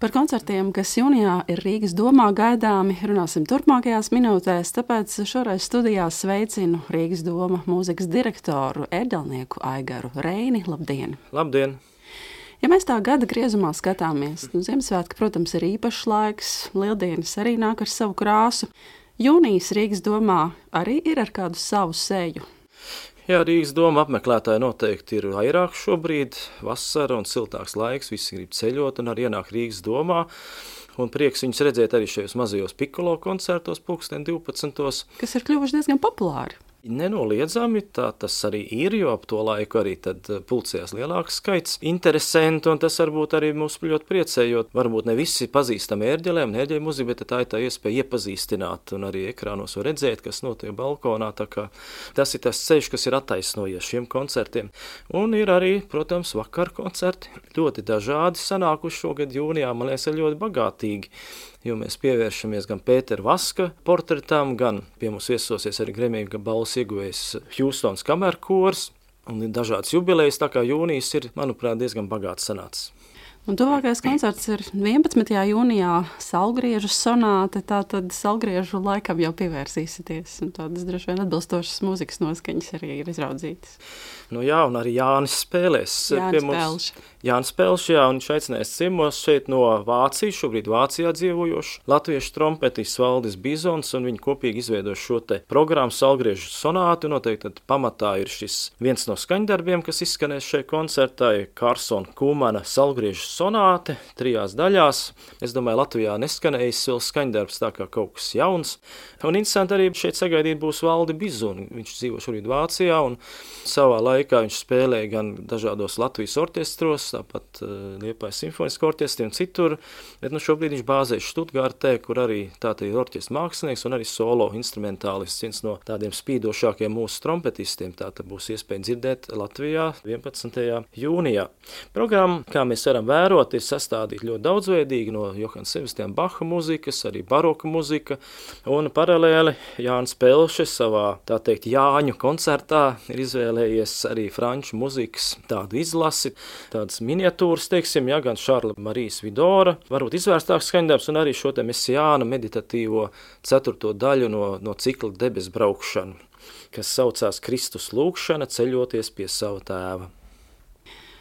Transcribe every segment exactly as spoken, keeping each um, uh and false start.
Par koncertiem, kas jūnijā ir Rīgas domā gaidāmi, runāsim turpmākajās minūtēs, tāpēc šoreiz studijā sveicinu Rīgas doma mūzikas direktoru, ērģelnieku Aigaru Reini. Labdien! Labdien! Ja mēs tā gada griezumā skatāmies, nu, Ziemassvētki, protams, ir īpašs laiks, Lieldienas arī nāk ar savu krāsu. Jūnijas Rīgas domā arī ir ar kādu savu seju. Jā, Rīgas doma apmeklētāji noteikti ir vairāk šobrīd, vasara un siltāks laiks, visi grib ceļot un arī ienāk Rīgas domā. Un prieks viņus redzēt arī šajos mazajos pikolo koncertos pulksten divpadsmitos. Kas ir kļuvuši diezgan populāri. Nenoliedzami, tā tas arī ir, jo ap to laiku arī tad pulcējās lielāks skaits interesantu, un tas varbūt arī mūs ļoti priecē, jo varbūt ne visi pazīstam ērģelēm, ne ērģeļu muziku, bet tā ir tā iespēja iepazīstināt un arī ekrānos var redzēt, kas notiek balkonā, tā kā tas ir tas ceļš, kas ir attaisnojies šiem koncertiem. Un ir arī, protams, vakar koncerti, ļoti dažādi sanākuši šogad jūnijā, man liekas, ir ļoti bagātīgi. Jo mēs pievēršamies gan Pētera Vaska portretam, gan pie mums viesosies arī Grammy balvas ieguvējs Hjūstons kamerkors un ir dažādas jubilejas, tā kā jūnijas ir, manuprāt, diezgan bagāts sanācis. Un tuvākais koncerts ir vienpadsmitajā jūnijā Salgriežu sonāte, tātad Salgriežu laikam jau pievērsīsieties, un tādas droši vien atbilstošas mūzikas noskaņas arī ir izraudzītas. Nu jā, un arī Jānis spēlēs. Jānis Pelš. Jānis Pelš, jā, un viņš aicinājās ciemos šeit no Vācijas, šobrīd Vācijā dzīvojošu latviešu trompetists Valdis Bizons, un viņi kopīgi izveidojuši šo te programmu Salgriežu sonāti, un noteikti tad pamatā ir šis viens no skaņdarbiem, kas izskanēs šajā koncertā, Karsona Kumana Salgriežu sonāte, trijās daļās. Es domāju, Latvijā neskanējis vēl skaņdarbs, tā kā kaut kas jauns. Un interesanti arī šeit sagaidīt būs Valdi Bizoni. Viņš dzīvo šobrīd Vācijā, un savā laikā viņš spēlēja gan dažādos Latvijas orķestros, tāpat uh, Liepājas simfoniskā orķestri un citur, bet nu šobrīd viņš bāzējas Štutgārtē, kur arī tātad ir orķestra mākslinieks un arī solo instrumentālists, viens no tādiem spīdošākiem mūsu trompetistiem. Tātad būs iespēja dzirdēt Latvijā vienpadsmitajā jūnijā. Programma, kā mēs varam vērot, ir sastādīta ļoti daudzveidīgi no Johana Sebastiana Baha muzikas, arī baroka muzika, un paralēli Jānis Pelšs savā, tā teikt, Jāņu koncertā ir izvēlējies arī franču muzikas tādu izlasi, tādas miniatūras, teiksim, ja, gan Šarla Marijas Vidora, varbūt izvērstāks skaņdarbs, un arī šo te Mesijāna meditatīvo ceturto daļu no, no cikla Debes braukšana, kas saucās Kristus lūgšana ceļoties pie sava tēva.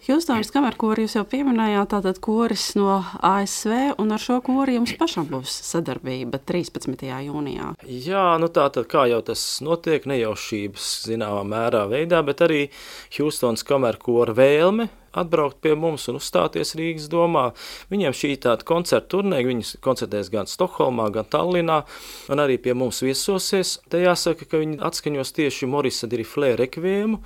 Hjūstons kamerkori jūs jau pieminējāt, tātad koris no A S V, un ar šo kori jums pašam būs sadarbība trīspadsmitajā jūnijā. Jā, nu tātad kā jau tas notiek, nejaušības zināmā mērā veidā, bet arī Hjūstons kamerkora vēlme atbraukt pie mums un uzstāties Rīgas domā. Viņiem šī tāda koncerta turnē, viņi koncertēs gan Stokholmā, gan Tallinā, un arī pie mums viesosies. Te jāsaka, ka viņi atskaņos tieši Morisa Diriflē rekviemu,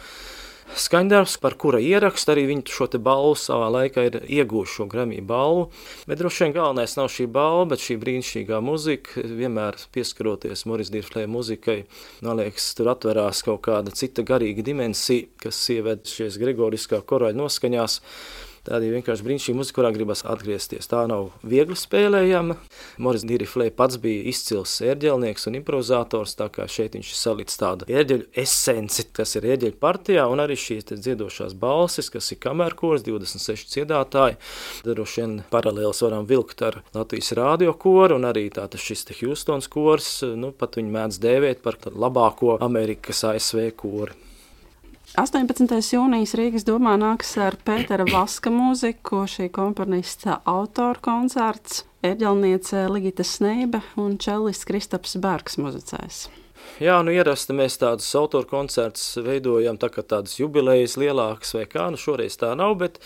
skaņdarbs, par kura ierakstu arī viņi šo te balvu savā laikā ir iegūši šo Grammy balvu, bet droši vien galvenais nav šī balva, bet šī brīnišķīgā muzika, vienmēr pieskaroties Moris Diriflē muzikai, man liekas, tur atverās kaut kāda cita garīga dimensija, kas ieved šies gregoriskā korāļa noskaņās. Tāda ir vienkārši brīnišķīga muzika, kurā gribas atgriezties. Tā nav viegli spēlējama. Moris Diriflē pats bija izcils ērģelnieks un improvizators, tā kā šeit viņš ir salicis tādu ērģeļu esenci, kas ir ērģeļu partijā, un arī šīs dziedošās balsis, kas ir kamerkors, divdesmit seši dziedātāji. Droši vien paralēlis varam vilkt ar Latvijas radio koru, un arī tātad šis te Hjūstons kors, nu, pat viņu mēdz dēvēt par labāko Amerikas A S V kori. astoņpadsmitajā jūnijas Rīgas domā nāks ar Pētera Vaska mūziku, šī komponista autora koncerts, ērģelniece Ligita Sneibe un čellists Kristaps Bergs muzicēs. Jā, nu ierasti mēs tādus autoru koncertus veidojam, tā kā tādas jubilejas lielākas vai kā, nu šoreiz tā nav, bet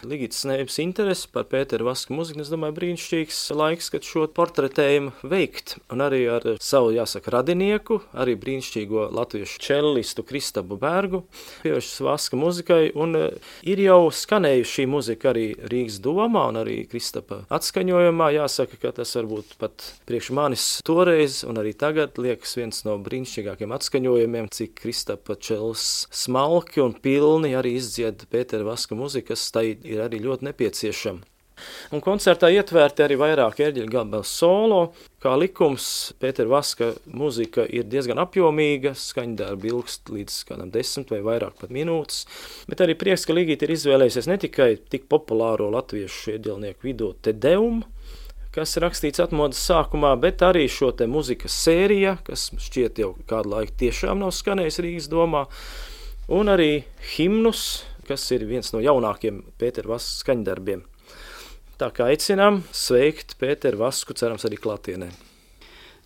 Ligitas Sneibes interesi par Pētera Vaska muziku, es domāju, brīnišķīgs laiks, kad šo portretējumu veikt, un arī ar savu, jāsaka, radinieku, arī brīnišķīgo latviešu čellistu Kristapu Bergu, pievēršas Vaska muzikai, un ir jau skanējuši šī muzika arī Rīgas domā, un arī Kristapa atskaņojumā, jāsaka, ka tas varbūt pat priekš manis toreiz, un arī tagad liekas viens no brīnišķīgākiem atskaņojumiem, cik Kristapa čels smalki un pilni arī izdzied Pētera Vaska muzikas, tai ir arī ļoti nepieciešama. Un koncertā ietvērti arī vairāk ērģeļu gabalu solo. Kā likums, Pētera Vaska mūzika ir diezgan apjomīga, skaņdarbi ilgst līdz kādam desmit vai vairāk pat minūtes, bet arī prieks, ka Ligita ir izvēlējusies ne tikai tik populāro latviešu ērģelnieku vidū Te Deum, kas rakstīts atmodas sākumā, bet arī šo te muzikas sērija, kas šķiet jau kādu laiku tiešām nav skanējis Rīgas domā, un arī himnus, kas ir viens no jaunākiem Pētera Vaskas skaņdarbiem. Tā kā aicinām sveikt Pēteru Vasku, cerams arī klātienē.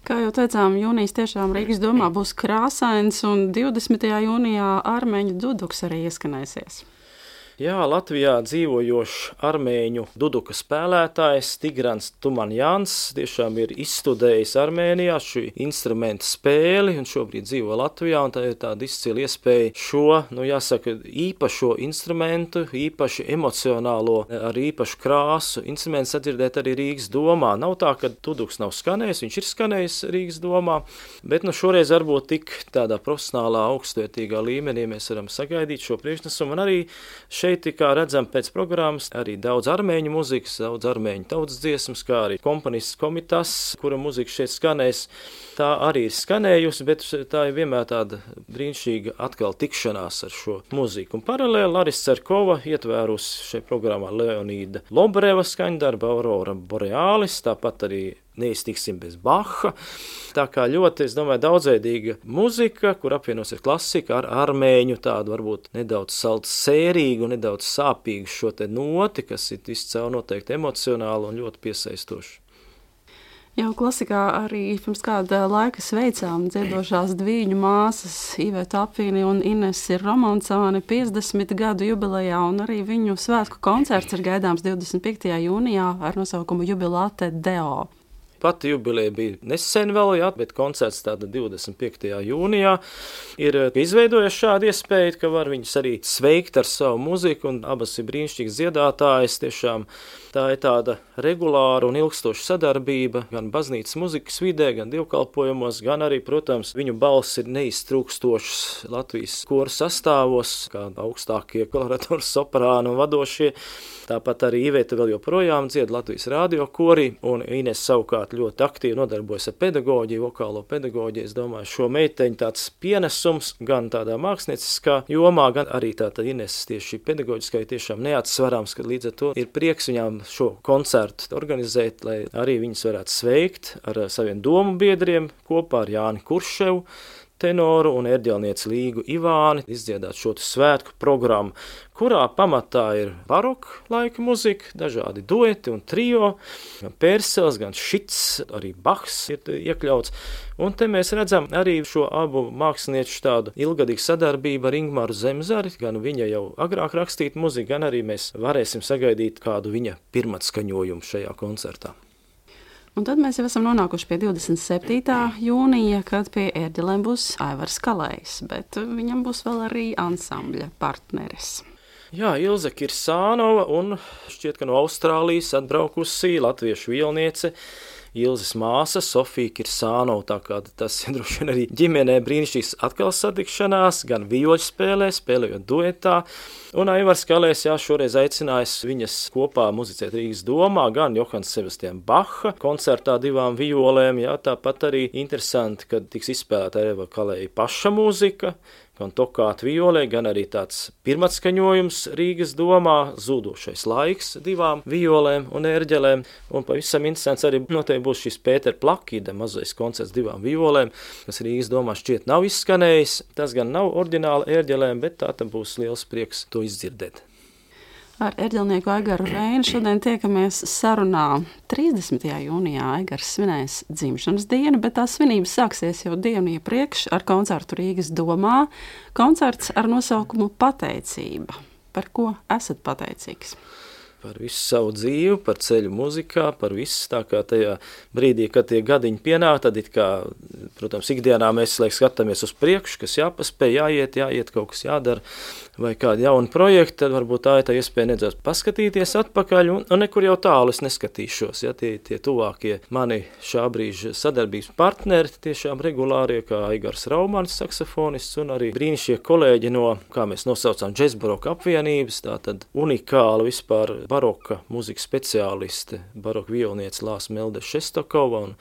Kā jau teicām, jūnijas tiešām Rīgas domā būs krāsains, un divdesmitajā jūnijā armēņu duduks arī ieskanēsies. Jā, Latvijā dzīvojošs armēņu duduka spēlētājs Tigrans Tumanjans tiešām ir izstudējis Armēnijā šī instrumenta spēli un šobrīd dzīvo Latvijā, un tā ir tāda izcila iespēja šo, nu jāsaka, īpašo instrumentu, īpaši emocionālo, ar īpašu krāsu instrumentu sadzirdēt arī Rīgas domā. Nav tā, ka duduks nav skanējis, viņš ir skanējis Rīgas domā, bet nu šoreiz varbūt tik tādā profesionālā, augstvērtīgā līmenī mēs varam sagaidīt šo priekšnesumu, un arī šeit, kā redzam pēc programmas, arī daudz armēņu muzikas, daudz armēņu tautas dziesmas, kā arī komponists Komitas, kura muzika šeit skanēs. Tā arī ir skanējusi, bet tā ir vienmēr tāda brīnišķīga atkal tikšanās ar šo muziku. Un paralēli Larisa Cerkova ietvērusi šeit programmā Leonīda Lobreva skaņdarba Aurora Borealis, tāpat arī neiztiksim bez Baha. Tā kā ļoti, es domāju, daudzveidīga muzika, kur apvienosies klasika ar armēņu tādu varbūt nedaudz saltu sērīgu, nedaudz sāpīgu šo te noti, kas ir viscaur noteikti emocionāli un ļoti piesaistoši. Jau klasikā arī pirms kāda laika sveicām dziedošās dvīņu māsas Iveta Apvīni un Inesi Romancāni piecdesmit gadu jubilejā, un arī viņu svētku koncerts ir gaidāms divdesmit piektajā jūnijā ar nosaukumu Jubilate Deo. Pati jubileja bija nesen vēl, jā, bet koncerts tāda divdesmit piektajā jūnijā ir izveidojuši šādu iespēju, ka var viņus arī sveikt ar savu muziku, un abas ir brīnišķīgas dziedātājas. Tiešām tā ir tāda regulāra un ilgstoša sadarbība gan baznīcas muzikas vidē, gan dievkalpojumos, gan arī, protams, viņu balss ir neiztrūkstošs Latvijas koru sastāvos, kā augstākie koloratoru soprāni un vadošie. Tāpat arī Iveta vēl joprojām dzied Latvijas radio kori, un Ines savukārt ļoti aktīvi nodarbojas ar pedagoģiju, vokālo pedagoģiju. Es domāju, šo meiteņu tāds pienesums gan tādā mākslinieckā jomā, gan arī tāda Ines tieši pedagoģiskai tiešām neatsverams, ka līdz ar to ir prieks viņām šo koncertu organizēt, lai arī viņas varētu sveikt ar saviem domu biedriem kopā ar Jāni Kurševu, tenoru un ērģelnieci Līgu Ivāni, izdziedāt šo svētku programmu, kurā pamatā ir baroka laika muzika, dažādi dueti un trio, gan Pērsels, gan Šits, arī Bachs ir iekļauts. Un te mēs redzam arī šo abu mākslinieču tādu ilgadīgu sadarbību ar Ingmaru Zemzari, gan viņa jau agrāk rakstīt muziku, gan arī mēs varēsim sagaidīt kādu viņa pirmatskaņojumu šajā koncertā. Un tad mēs jau esam nonākuši pie divdesmit septītā jūnija, kad pie ērģelēm būs Aivars Kalējs, bet viņam būs vēl arī ansambļa partneris. Jā, Ilze Kirsānova un šķiet, ka no Austrālijas atbraukusi latviešu vielniece Ilzes māsa Sofija Kirsānova, tā kā tas ir droši vien arī ģimenē brīnišķīgs atkal satikšanās, gan vioļu spēlē, spēlējot duetā, un Aivars Kalējs, jā, šoreiz aicinājis viņas kopā muzicēt Rīgas domā, gan Johans Sebastian Bacha koncertā divām violēm, jā, tāpat arī interesanti, kad tiks izspēlēta Aivara Kalēja paša mūzika, gan tokāt violē, gan arī tāds pirmatskaņojums Rīgas domā, Zūdošais laiks divām violēm un ērģelēm, un pavisam interesants arī noteikti būs šis Pētera Plakīda mazais koncerts divām violēm, kas Rīgas domā šķiet nav izskanējis, tas gan nav oriģināli ērģelēm, bet tā tam būs liels prieks to izdzirdēt. Ar ērģelnieku Aigaru Reinu šodien tiekamies sarunā. trīsdesmitajā jūnijā Aigars svinēs dzimšanas dienu, bet tā svinības sāksies jau dienu iepriekš ar koncertu Rīgas domā. Koncerts ar nosaukumu Pateicība. Par ko esat pateicīgs? Par visu savu dzīvi, par ceļu muzikā, par visu, tā kā tajā brīdī, kad tie gadiņi pienāk, tad it kā, protams, ikdienā mēs liek skatāmies uz priekšu, kas jāpaspēj, jāiet, jāiet, kaut kas jādara, vai kādi jauni projekti, tad varbūt tā ir tā iespēja nedaudz paskatīties atpakaļ, un, un nekur jau tālu es neskatīšos. Ja, tie, tie tuvākie mani šā brīža sadarbības partneri, tiešām regulārie, kā Aigars Raumanis, saksofonists, un arī brīnišķie kolēģi no, kā mēs nosaucām, Džez baroka apvienības, tātad unikāla vispār baroka muzikas speciāliste, baroka violniece Lāsma Melde Šestokova, un,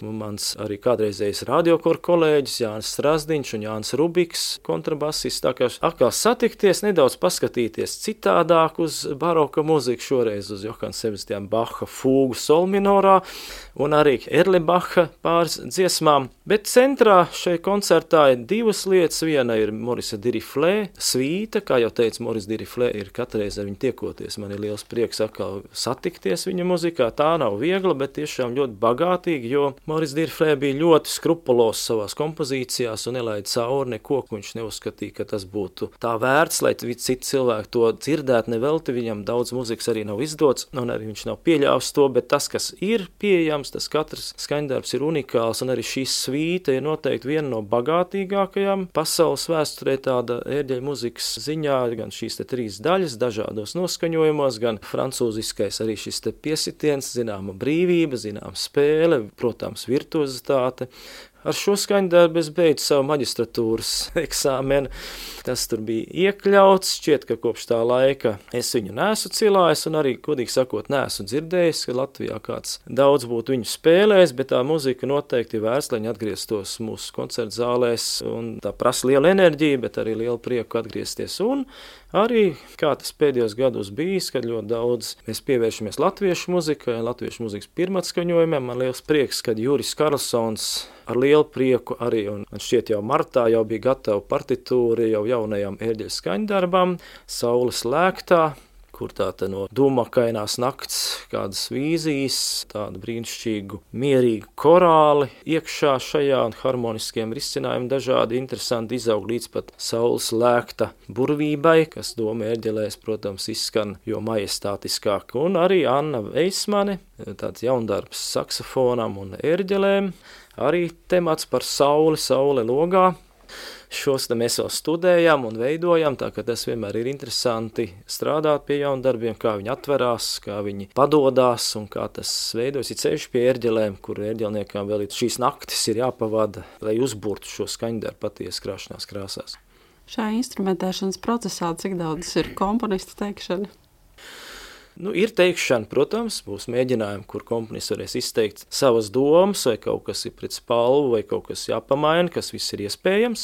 un mans arī kādreizējais radiokor kolēģis Jānis Strasdiņš un Jānis Rubiks, kontrabasists, tā kā atkal satikties, nedaudz paskatīties citādāk uz baroka mūziku, šoreiz uz Johana Sebastiana Bacha fūgu sol minorā un arī Erlebacha pāris dziesmām. Bet centrā šai koncertā ir divas lietas. Viena ir Morisa Diriflē svīta, kā jau teicu, Moris Diriflē ir katreiz ar viņu tiekoties. Man ir liels prieks atkal satikties viņa muzikā. Tā nav viegla, bet tiešām ļoti bagātīga, jo Moris Diriflē bija ļoti skrupulos savās kompozīcijās un nelaida cauri neko, ko viņš neuzskatīja, ka tas būtu tā vērts, lai citi cilvēki to dzirdētu nevelti. Viņam daudz muzikas arī nav izdots, un arī viņš nav pieļāvis to, bet tas, kas ir pieejams, tas katrs skaņdarbs ir unikāls, un arī šī svīta ir noteikti viena no bagātīgākajām pasaules vēsturē tāda ērģeļa muzikas ziņā, gan šīs te trīs daļas dažādos noskaņojumos, gan francūziskais arī šis te piesitiens, zināma brīvība, zināma spēle, protams, virtuozitāte. Ar šo skaņdarbu es beidzu savu maģistratūras eksāmenu. Tas tur bija iekļauts, šķiet, ka kopš tā laika es viņu neesmu cilājis un arī, godīgi sakot, neesmu dzirdējis, ka Latvijā kāds daudz būtu viņu spēlējis, bet tā muzika noteikti ir vērts, lai viņi atgrieztos mūsu koncertu zālēs, un tā prasa liela enerģija, bet arī liela prieku atgriezties. Un arī, kā tas pēdējos gados bijis, kad ļoti daudz mēs pievēršamies latviešu muzikai, latviešu muzikas pirmatskaņojumiem, man liels prieks, kad Juris Karlsons ar lielu prieku arī, un man šķiet jau martā jau bija gatava partitūra jau jaunajām ērģeļa skaņdarbām, Saules lēktā, kur tāda no dūmakainās nakts kādas vīzijas, tādu brīnišķīgu, mierīgu korāli iekšā šajā un harmoniskiem risinājumiem dažādi interesanti izaug līdz pat Saules lēkta burvībai, kas doma ērģelēs, protams, izskan jo majestātiskāk. Un arī Anna Veismane, tāds jaundarbs saksofonam un ērģelēm, arī temats par sauli, saule logā. Šos mēs vēl studējam un veidojam, tā ka tas vienmēr ir interesanti strādāt pie jaundarbiem, kā viņi atverās, kā viņi padodās un kā tas veidojas. Ir ceļš pie ērģelēm, kur ērģelniekām vēl šīs naktis ir jāpavada, lai uzburtu šo skaņdarbu patiesi krāšanās krāsās. Šajā instrumentēšanas procesā cik daudz ir komponistu teikšana? Nu, ir teikšana, protams, būs mēģinājumi, kur komponists varēs izteikt savas domas, vai kaut kas ir pret spalvu, vai kaut kas jāpamaina, kas viss ir iespējams.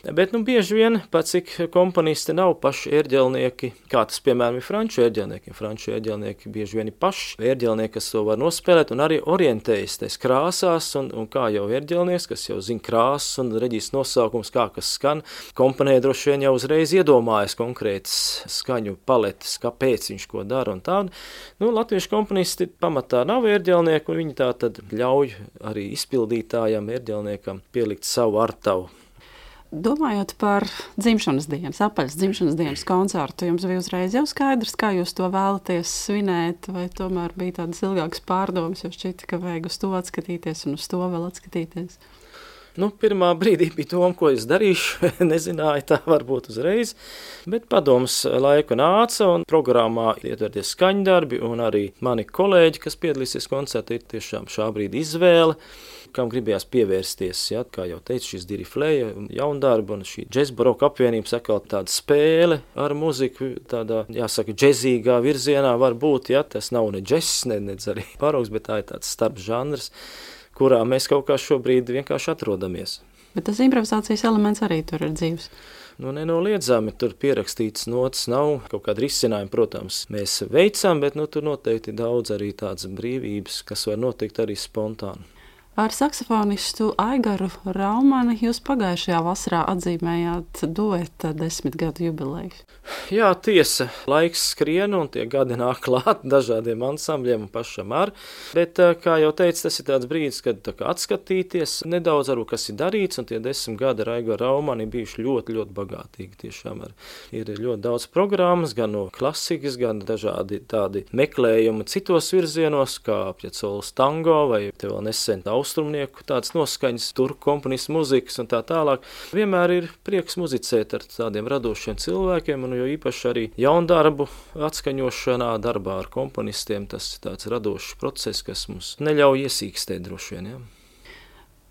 Bet, nu, bieži vien, pat cik komponisti nav paši ērģelnieki, kā tas, piemēram, ir franču ērģelnieki. Franču ērģelnieki bieži vien ir paši ērģelnieki, kas to var nospēlēt un arī orientējas tais krāsās, un, un kā jau ērģelnieks, kas jau zina krāsas un reģis nosaukums, kā kas skan, komponē droši vien jau uzreiz iedomājas konkrētas skaņu paletes, kāpēc viņš ko dara un tā. Nu, latviešu komponisti pamatā nav ērģelnieki, un viņi tā tad ļauj arī izpildītājam, ērģelniekam pielikt savu artavu. Domājot par dzimšanas dienas, apaļas dzimšanas dienas koncertu, jums bija uzreiz jau skaidrs, kā jūs to vēlaties svinēt, vai tomēr bija tādas ilgākas pārdomas, jo šķita, ka vajag uz to atskatīties un uz to vēl atskatīties? Nu, pirmā brīdī bija doma, ko es darīšu, nezināju tā varbūt uzreiz, bet padoms laiku nāca un programmā ietverties skaņdarbi un arī mani kolēģi, kas piedalīsies koncertā, ir tiešām šā brīdi izvēle, kam gribējās pievērsties, ja, kā jau teicu, šis Diriflēja jaundarba un šī Džez baroka apvienības atkal tāda spēle ar muziku, tādā, jāsaka, džezīgā virzienā var būt, ja, tas nav ne džess, ne, ne arī baroks, bet tā ir tāds starp žanrs, kurā mēs kaut kā šobrīd vienkārši atrodamies. Bet tas improvizācijas elements arī tur ir dzīves. Nu, nenoliedzami, tur pierakstīts notas nav, kaut kāda risinājuma, protams, mēs veicam, bet nu, tur noteikti daudz arī tādas brīvības, kas var notikt arī spontāni. Ar saksofonistu Aigaru Raumani jūs pagājušajā vasarā atzīmējāt dueta desmit gadu jubileju. Jā, tiesa, laiks skrien un tie gadi nāk klāt dažādiem ansambļiem un pašam ar, bet, kā jau teicu, tas ir tāds brīdis, kad tā kā atskatīties nedaudz ar, kas ir darīts, un tie desmit gadi ar Aigaru Raumani bijuši ļoti, ļoti bagātīgi. Tiešām ar, ir ļoti daudz programmas, gan no klasikas, gan dažādi tādi meklējumi citos virzienos, kā Piacolas tango vai te vēl nesen austrumnieku tādas noskaņas, turku komponistu muzikas un tā tālāk. Vienmēr ir prieks muzicēt ar tādiem radošiem cilvēkiem, un jo īpaši arī jaundarbu atskaņošanā, darbā ar komponistiem, tas ir tāds radošs process, kas mums neļauj iesīkstēt droši vien, ja.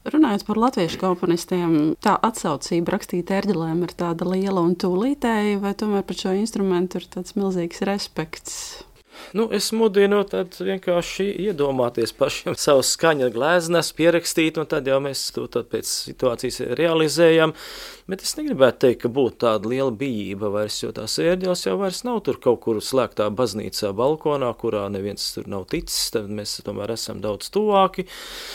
Runājot par latviešu komponistiem, tā atsaucība rakstīt ērģelēm ir tāda liela un tūlītēja, vai tomēr par šo instrumentu ir tāds milzīgs respekts? Nu, es mudinu tad vienkārši iedomāties pašiem savu skaņa glēznes, pierakstīt, un tad jau mēs to tad pēc situācijas realizējam. Bet es negribētu teikt, ka būtu tāda liela bijība vairs, jo tās ērģeles jau vairs nav tur kaut kur slēgtā baznīcā balkonā, kurā neviens tur nav ticis, tad mēs tomēr esam daudz tuvāki.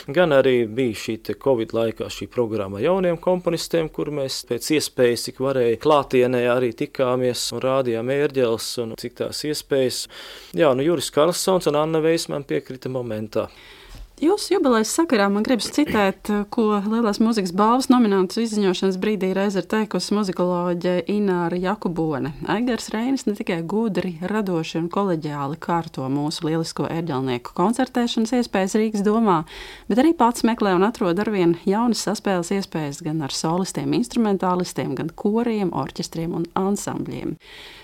Gan arī bija šī te Covid laikā šī programma jauniem komponistiem, kur mēs pēc iespējas, cik varēja klātienē arī tikāmies un rādījām ērģeles un cik tās iespējas. Jā, nu Juris Karlsons un Anna Vejs man piekrita momentā. Jūsu jubilejas sakarā man gribas citēt, ko Lielās mūzikas balvas nominantu izziņošanas brīdī reiz ir teikusi muzikoloģe Ināra Jakubone. Aigars Reinis ne tikai gudri, radoši un koleģiāli kārto mūsu lielisko ērģelnieku koncertēšanas iespējas Rīgas domā, bet arī pats meklē un atrod arvien jaunas saspēles iespējas gan ar solistiem, instrumentālistiem, gan koriem, orķestriem un ansambļiem.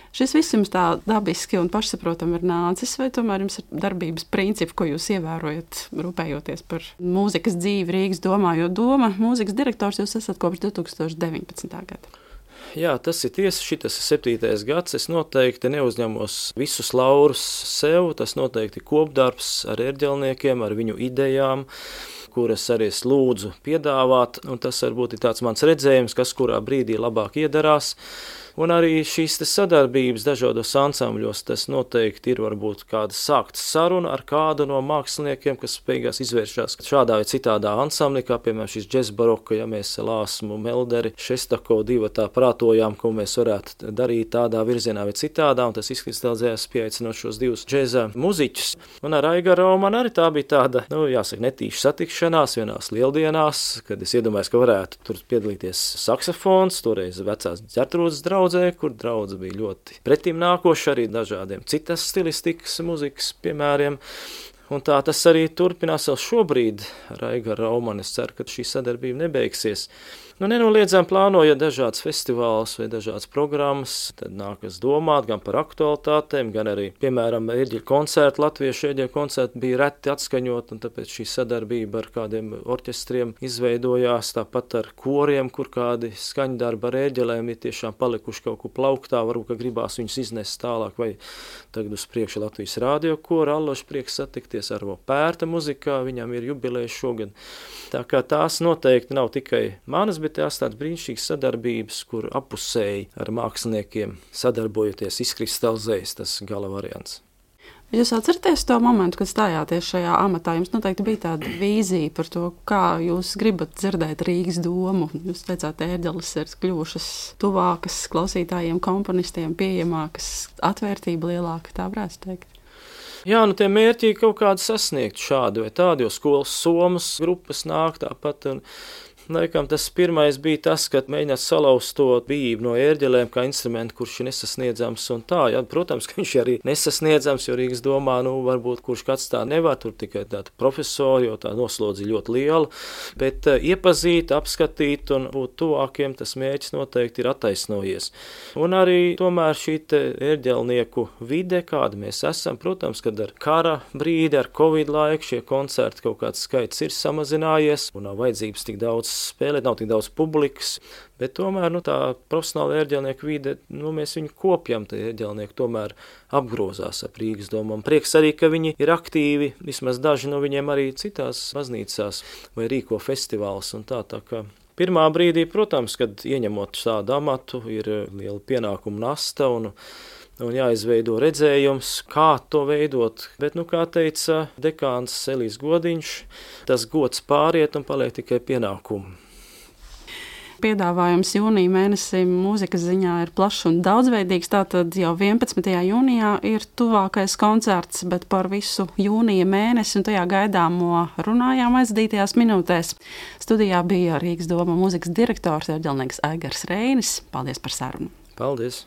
Šis viss jums tā dabiski un pašsaprotam ir nācis, vai tomēr jums ir darbības principi, ko jūs ievērojat, rūpējoties par mūzikas dzīvi Rīgas domā, jo doma mūzikas direktors jūs esat kopš divi tūkstoši deviņpadsmitā gada? Jā, tas ir tiesa, šitas ir septītais gads, es noteikti neuzņemos visus laurus sev, tas noteikti kopdarbs ar ērģelniekiem, ar viņu idejām, kuras arī es lūdzu piedāvāt, un tas varbūt ir tāds mans redzējums, kas kurā brīdī labāk iedarās. Un arī šīs sadarbības dažādos ansambļos, tas noteikti ir varbūt kāda sākta saruna ar kādu no māksliniekiem, kas beigās izvēršās šādā vai citādā ansamblī, kā piemēram šis džez baroka, ja mēs Lāsmu, Melderi, Šestako divatā prātojām, ko mēs varētu darīt tādā virzienā vai citādā, un tas izkristalizējās pieaicinot šos divus džeza muziķus. Un ar Aigaru man arī tā bija tāda, nu jāsaka, netīša satikšanās vienās lieldienās, kad es iedomājos, ka varētu tur piedalīties saksofons, toreiz vecās Ģertrūdes draudze, kur draudze bija ļoti pretim nākoša arī dažādiem citas stilistikas muzikas piemēriem. Un tā tas arī turpinās vēl šobrīd ar Aigaru Raumani. Es ceru, ka šī sadarbība nebeigsies. Nu, nenoliedzām plānojot dažādas festivālus vai dažādas programmas, tad nākas domāt gan par aktualitātēm, gan arī, piemēram, ērģeļu koncerti, latviešu ērģeļu koncerti bija reti atskaņot, un tāpēc šī sadarbība ar kādiem orķestriem izveidojās, tāpat ar koriem, kur kādi skaņdarbi ar ērģelēm ir tiešām palikuši kaut kur plauktā, varbūt, ka gribās viņus iznest tālāk, vai tagad uz priekšu Latvijas radio koru, Alloši prieks satikties ar Pērta muzikā, viņam ir jubileja šogad. Tā kā tās noteikti nav tikai manas, bet tās tādas brīnišķīgas sadarbības, kur apusēji ar māksliniekiem sadarbojoties izkristalizējas tas gala variants. Jūs atceraties to momentu, kad stājāties šajā amatā? Jums noteikti bija tāda vīzija par to, kā jūs gribat dzirdēt Rīgas domu. Jūs teicāt, ērģeles ir kļuvušas tuvākas klausītājiem, komponistiem, pieejamākas, atvērtība lielāka, tā varētu teikt. Jā, nu tie mērķi kaut kādi sasniegt šādi vai tādi, jo skolas somas grupas nāk tāpat un laikam tas pirmais bija tas, kad mēģināt salauzt to bijību no ērģelēm kā instrumentu, kurš ir nesasniedzams un tā. Jā, protams, ka viņš arī nesasniedzams, jo Rīgas domā, nu, varbūt kurš kāds tā nevar, tur tikai tāda profesori, jo tā noslodzi ļoti liela, bet uh, iepazīt, apskatīt un būt tuvākiem, tas mērķis noteikti ir attaisnojies. Un arī tomēr šī te ērģelnieku vide, kāda mēs esam, protams, kad ar kara brīdi, ar Covid laiku šie koncerti kaut kāds skaits ir samazinājies un nav vajadzības tik daudz spēlēt, nav tik daudz publikas, bet tomēr nu, tā profesionāla ērģelnieku vide, nu, mēs viņu kopjam, tie ērģelnieki tomēr apgrozās ap Rīgas domām. Prieks arī, ka viņi ir aktīvi, vismaz daži no viņiem arī citās baznīcās vai rīko festivālus un tā, tā kā. Pirmā brīdī, protams, kad ieņemot tādu amatu, ir liela pienākuma nasta un un jāizveido redzējums, kā to veidot. Bet, nu, kā teica dekāns Elijas Godiņš, tas gods pāriet un paliek tikai pienākumi. Piedāvājums jūnija mēnesim mūzikas ziņā ir plašs un daudzveidīgs, tātad jau vienpadsmitajā jūnijā ir tuvākais koncerts, bet par visu jūnija mēnesi un tajā gaidāmo runājām aizdītajās minūtēs. Studijā bija Rīgas doma mūzikas direktors ērģelnieks Aigars Reinis. Paldies par sarunu. Paldies!